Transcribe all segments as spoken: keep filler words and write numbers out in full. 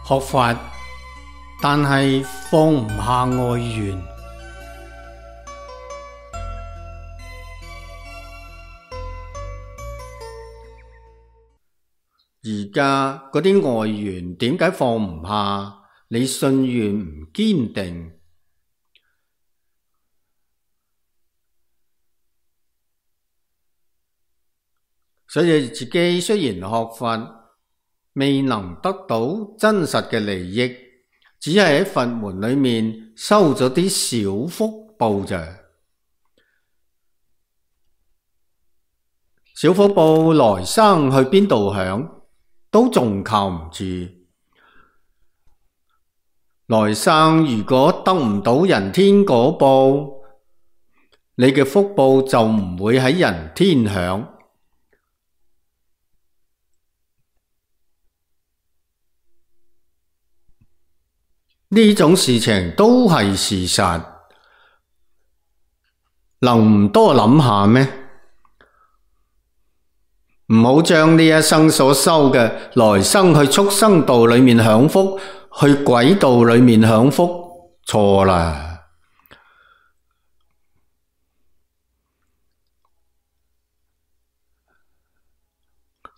學佛，但係放唔下外緣。而家嗰啲外緣點解放唔下？你信願唔堅定。所以自己雖然學佛，未能得到真實嘅利益，只係喺佛門裏面收咗啲小福報咋。小福報來生去邊度享，都仲靠唔住。來生如果得唔到人天果報，你嘅福報就唔會喺人天享。呢種事情都係事實，能唔多諗下咩？唔好將呢一生所修嘅來生去畜生道裏面享福，去鬼道裏面享福，錯啦。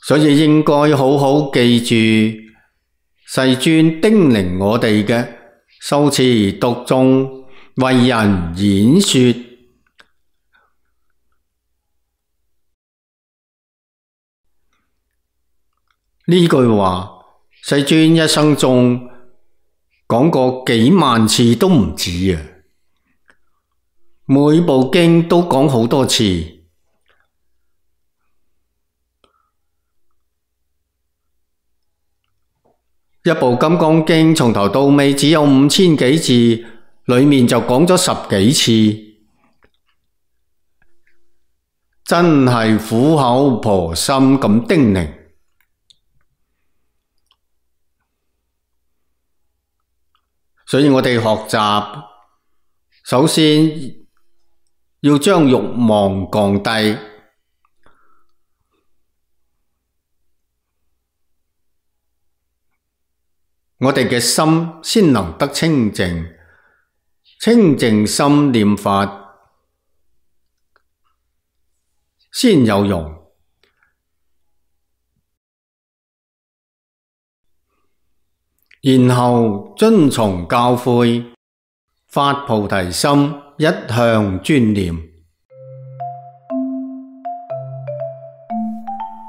所以應該好好記住世尊叮嚀我哋嘅修持讀誦，為人演說。呢句話，世尊一生中講過幾萬次都唔止啊！每部經都講好多次。一部《金剛經》從頭到尾只有五千幾字，裏面就講咗十幾次，真係苦口婆心咁叮嚀。所以我哋學習，首先要將慾望降低。我哋嘅心先能得清淨，清淨心念法先有用。然後遵從教誨，發菩提心，一向專念。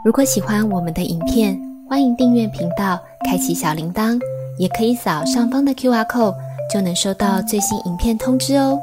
如果喜歡我們的影片，歡迎訂閱頻道，開啟小鈴鐺，也可以掃上方的 Q R code，就能收到最新影片通知哦。